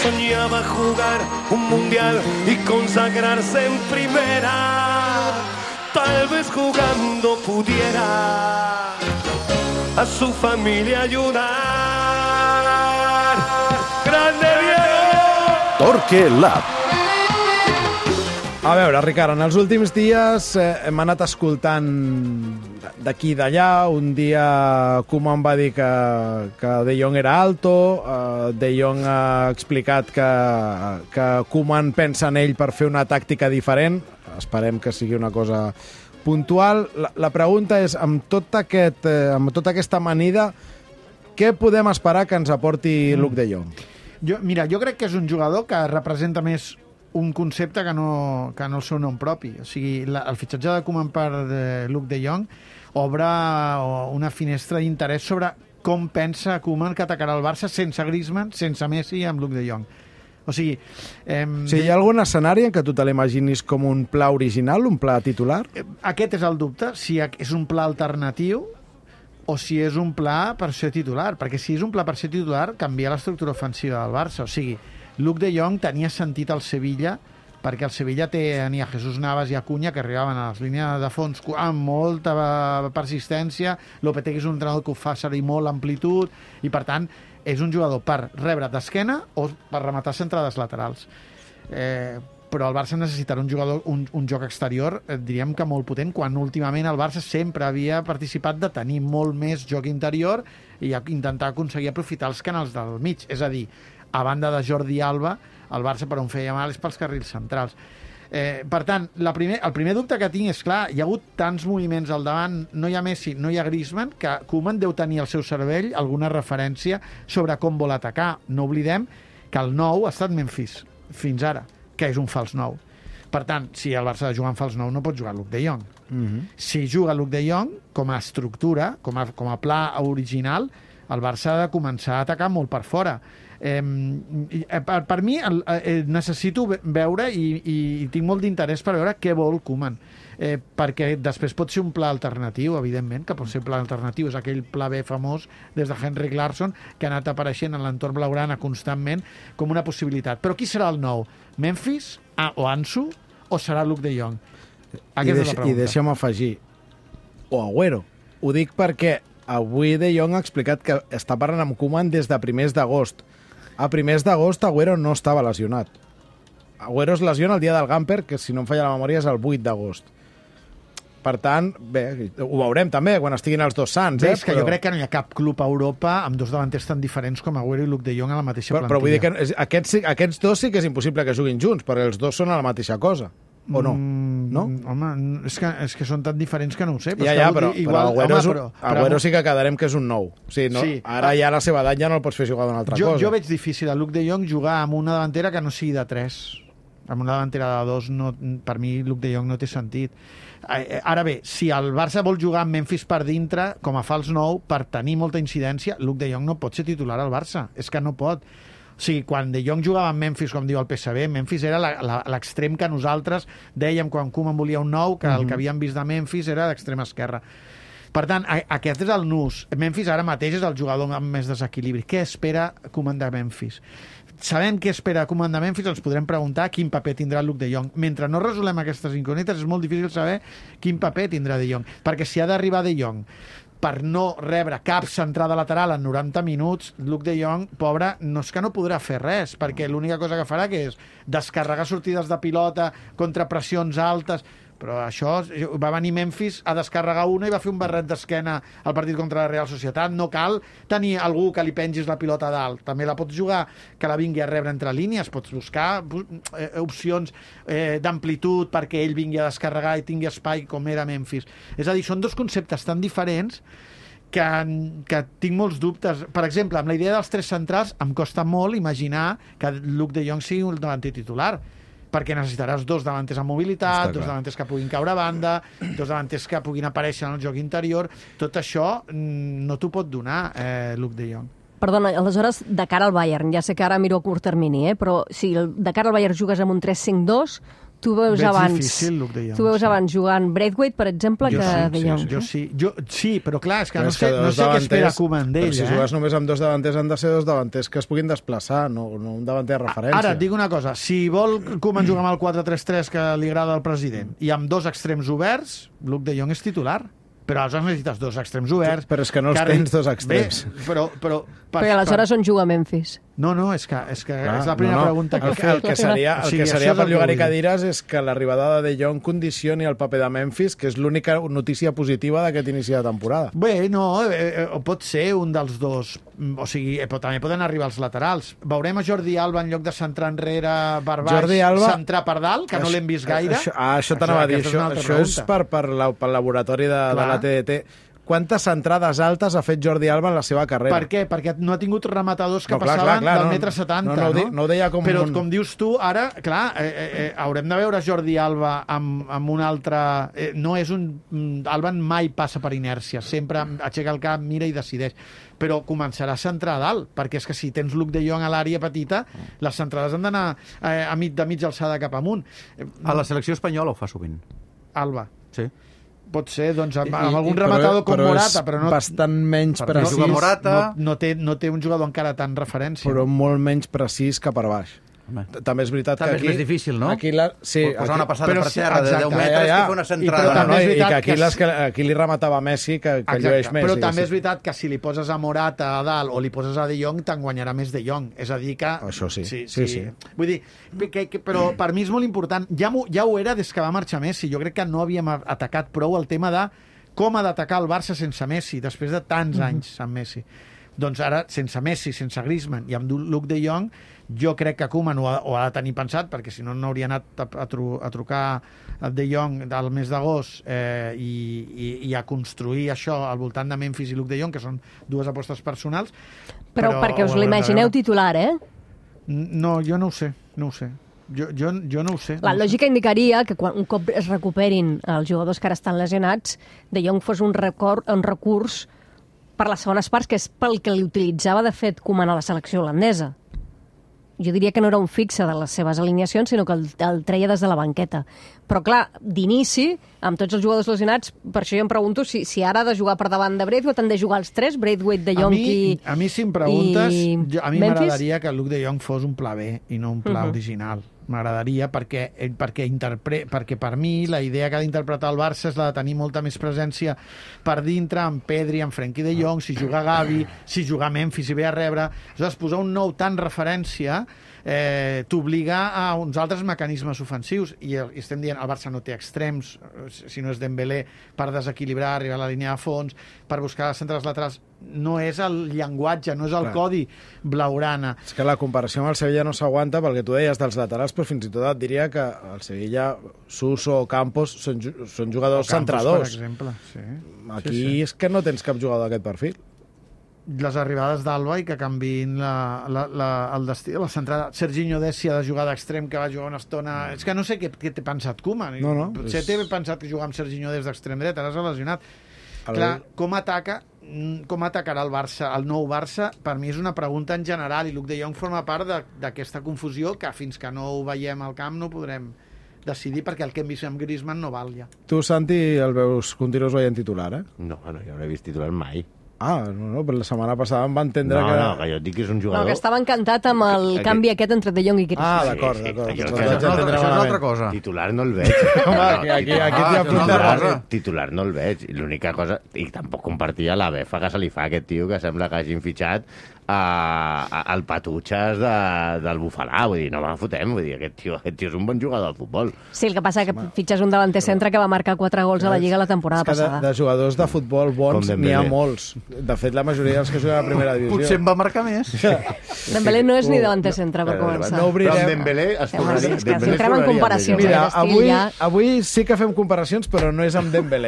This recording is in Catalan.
soñaba jugar un mundial y consagrarse en primera. Tal vez jugando pudiera a su familia ayudar. ¡Grande Diego! Torque Lab. A veure, Ricard, en els últims dies hem anat escoltant d'aquí i d'allà. Un dia Koeman va dir que De Jong era alto, De Jong ha explicat que Koeman pensa en ell per fer una tàctica diferent. Esperem que sigui una cosa puntual. La pregunta és, amb tota aquesta amanida, què podem esperar que ens aporti Luuk de Jong? Jo crec que és un jugador que representa més un concepte que no el seu nom propi. O sigui, el fitxatge de Koeman per Luuk de Jong obre una finestra d'interès sobre com pensa Koeman que atacarà el Barça sense Griezmann, sense Messi i amb Luuk de Jong. O sigui... hi ha algun escenari en què tu te l'imaginis com un pla original, un pla titular? Aquest és el dubte, si és un pla alternatiu o si és un pla per ser titular, perquè si és un pla per ser titular canvia l'estructura ofensiva del Barça. O sigui, Luuk de Jong tenia sentit al Sevilla perquè el Sevilla tenia Jesús Navas i Acuña que arribaven a les línies de fons amb molta persistència. Lopetegui és un entrenador que ho fa servir molt amplitud i, per tant, és un jugador per rebre d'esquena o per rematar centrades laterals. Però el Barça necessitarà un jugador, un joc exterior, diríem que molt potent, quan últimament el Barça sempre havia participat de tenir molt més joc interior i intentar aconseguir aprofitar els canals del mig. És a dir, a banda de Jordi Alba, el Barça per on feia mal és pels carrils centrals. Per tant, el primer dubte que tinc és, clar, hi ha hagut tants moviments al davant, no hi ha Messi, no hi ha Griezmann, que Koeman deu tenir al seu cervell alguna referència sobre com vol atacar. No oblidem que el 9 ha estat Memphis, fins ara, que és un fals 9. Per tant, si el Barça ha de jugar en fals 9, no pot jugar Luuk de Jong. Si juga Luuk de Jong, com a estructura, com a pla original, el Barça ha de començar a atacar molt per fora. Per mi necessito veure i tinc molt d'interès per veure què vol Koeman, perquè després pot ser un pla alternatiu, evidentment que pot ser un pla alternatiu, és aquell pla B famós des de Henrik Larsson que ha anat apareixent en l'entorn blaugrana constantment com una possibilitat. Però qui serà el nou? Memphis o Ansu o serà Luuk de Jong? Aquesta és la pregunta. I deixa'm afegir, o Agüero. Ho dic perquè avui De Jong ha explicat que està parlant amb Koeman des de primers d'agost. A primers d'agost Agüero no estava lesionat. Agüero es lesiona el dia del Gamper, que si no em falla la memòria és el 8 d'agost. Per tant, bé, ho veurem també quan estiguin els dos sants. És que jo crec que no hi ha cap club a Europa amb dos davanters tan diferents com Agüero i Luuk de Jong a la mateixa plantilla. Però vull dir que aquests dos sí que és impossible que juguin junts, perquè els dos són a la mateixa cosa. O no? No? Home, és que són tan diferents que no ho sé. Però Agüero sí que quedarem que és un nou. O sigui, no, sí. Ara ja a la seva edat ja no el pots fer jugar d'una altra cosa. Jo veig difícil a Luuk de Jong jugar amb una davantera que no sigui de 3. Amb una davantera de 2, no, per mi Luuk de Jong no té sentit. Ara bé, si el Barça vol jugar amb Memphis per dintre, com a fals 9, per tenir molta incidència, Luuk de Jong no pot ser titular al Barça. És que no pot. O sigui, quan De Jong jugava amb Memphis, com diu el PSV, Memphis era l'extrem que nosaltres dèiem quan Koeman volia un nou, que el que havíem vist de Memphis era d'extrema esquerra. Per tant, aquest és el nus. Memphis ara mateix és el jugador amb més desequilibri. Què espera Koeman de Memphis? Sabem què espera Koeman de Memphis, ens podrem preguntar quin paper tindrà Luuk de Jong. Mentre no resolem aquestes incògnites, és molt difícil saber quin paper tindrà De Jong. Perquè si ha d'arribar De Jong per no rebre cap centrada lateral en 90 minuts, Luuk de Jong, pobre, no és que no podrà fer res, perquè l'única cosa que farà que és descarregar sortides de pilota contra pressions altes. Però això, va venir Memphis a descarregar una i va fer un barret d'esquena al partit contra la Real Societat. No cal tenir algú que li pengis la pilota a dalt. També la pots jugar, que la vingui a rebre entre línies. Pots buscar opcions d'amplitud perquè ell vingui a descarregar i tingui espai com era Memphis. És a dir, són dos conceptes tan diferents que tinc molts dubtes. Per exemple, amb la idea dels 3 centrals em costa molt imaginar que Luuk de Jong sigui un davanter titular, perquè necessitaràs 2 davanters amb mobilitat, 2 davanters que puguin caure a banda, 2 davanters que puguin aparèixer en el joc interior. Tot això no t'ho pot donar Luuk de Jong. Perdona, aleshores, de cara al Bayern, ja sé que ara miro a curt termini, però si de cara al Bayern jugues amb un 3-5-2, tu veus Veig abans... difícil, Luke de Jong, Tu veus sí. abans jugant Braithwaite, per exemple, que De Jong. Sí, però clar, és que Però no sé què espera Koeman d'ell. Però si jugues només amb dos davanters, han de ser dos davanters que es puguin desplaçar, no un davanter de referència. Ara, et dic una cosa. Si vol Koeman jugar amb el 4-3-3 que li agrada al president i amb dos extrems oberts, Luke de Jong és titular. Però aleshores necessites dos extrems oberts. Però és que no els tens dos extrems. Però aleshores on juga Memphis? No, és que és la primera pregunta que he fet. El que seria per llogar-hi dir. cadires és que l'arribada de De Jong condicioni el paper de Memphis, que és l'única notícia positiva d'aquest inici de temporada. Bé, no, pot ser un dels dos. O sigui, però també poden arribar els laterals. Veurem a Jordi Alba en lloc de centrar enrere per baix, centrar per dalt, que no l'hem vist gaire. Això t'anava a dir. Això és per laboratori de la TDT. Quantes centrades altes ha fet Jordi Alba en la seva carrera? Per què? Perquè no ha tingut rematadors que passaven del metre 70, no? No ho deia com... Però, com dius tu, ara, clar, haurem de veure Jordi Alba amb un altre... No és un... Alba mai passa per inèrcia, sempre aixeca el cap, mira i decideix. Però començarà a centrar a dalt, perquè és que si tens Luke de Jong a l'àrea petita, les centrades han d'anar de mitja alçada cap amunt. A la selecció espanyola ho fa sovint. Alba. Sí. Pot ser, doncs, amb algun rematador com Morata, però no... bastant menys precís. No té un jugador encara tan referència. Però molt menys precís que per baix. També és veritat que aquí... També és més difícil, no? Sí, posar una passada per terra de 10 metres i fer una centrada. I que aquí li rematava Messi, que llueix més. Però també és veritat que si li poses a Morata a dalt o li poses a De Jong, te'n guanyarà més De Jong. És a dir que... Això sí. Vull dir, però per mi és molt important. Ja ho era des que va marxar Messi. Jo crec que no havíem atacat prou el tema de com ha d'atacar el Barça sense Messi, després de tants anys amb Messi. Doncs ara, sense Messi, sense Griezmann i amb Luke de Jong, jo crec que Koeman ho ha de tenir pensat, perquè si no hauria anat a trucar a De Jong al mes d'agost i a construir això al voltant de Memphis i Luke de Jong, que són dues apostes personals. Però perquè us l'imagineu titular, No, jo no ho sé. Jo no ho sé. La lògica indicaria que quan un cop es recuperin els jugadors que ara estan lesionats, De Jong fos un recurs per les segones parts, que és pel que li utilitzava, de fet, Koeman a la selecció holandesa. Jo diria que no era un fixe de les seves alineacions, sinó que el treia des de la banqueta. Però, clar, d'inici, amb tots els jugadors lesionats, per això jo em pregunto si ara ha de jugar per davant de Braithwaite, han de jugar els tres, Braithwaite, De Jong a mi, si em preguntes, a mi m'agradaria que Luke de Jong fos un pla B i no un pla original. M'agradaria perquè per mi la idea que ha d'interpretar el Barça és la de tenir molta més presència per dintre, amb Pedri, amb Frenkie de Jong, si juga Gavi, si juga Memphis i ve a rebre. Aleshores, posar un nou tant referència t'obliga a uns altres mecanismes ofensius i estem dient el Barça no té extrems, si no és Dembélé, per desequilibrar, arribar a la línia de fons, per buscar centres laterals. No és el llenguatge, no és el codi blaugrana. És que la comparació amb el Sevilla no s'aguanta pel que tu deies dels laterals, però fins i tot et diria que el Sevilla, Suso o Campos són jugadors centradors. Per exemple, sí. Aquí és que no tens cap jugador d'aquest perfil. Les arribades d'Alba i que canviïn el destí de la centrada. Serginho Dest ha de jugar d'extrem, que va jugar una estona... És que no sé què té pensat Koeman. Potser té pensat que jugar amb Serginho Dest d'extrem dret, ara s'ha lesionat. Clar, com atacarà el Barça, el nou Barça? Per mi és una pregunta en general, i Luke de Jong forma part d'aquesta confusió que fins que no ho veiem al camp no podrem decidir, perquè el que hem vist amb Griezmann no val ja. Tu, Santi, continues veient titular, No, jo no l'he vist titular mai. No, però la setmana passada em va entendre que... No, que jo et dic que és un jugador... No, que estava encantat amb el canvi aquest entre De Jong i Griezmann. D'acord. Això és una altra cosa. Titular no el veig. Aquí t'hi ha apuntat. Titular no el veig. L'única cosa... I tampoc compartia la befa que se li fa a aquest tio, que sembla que hagin fitxat al Patutxes del Bufalà. Vull dir, no me fotem. Vull dir, aquest tio és un bon jugador de futbol. Sí, el que passa que fitxes un davanter centre que va marcar 4 gols a la Lliga la temporada passada. De jugadors de futbol bons n'hi ha molts. De fet, la majoria dels que juguen a la primera divisió. Potser en va marcar més. Dembélé no és ni davanter centre, per començar. Però amb Dembélé es tornaria... Si entrem en comparacions. Mira, avui sí que fem comparacions, però no és amb Dembélé.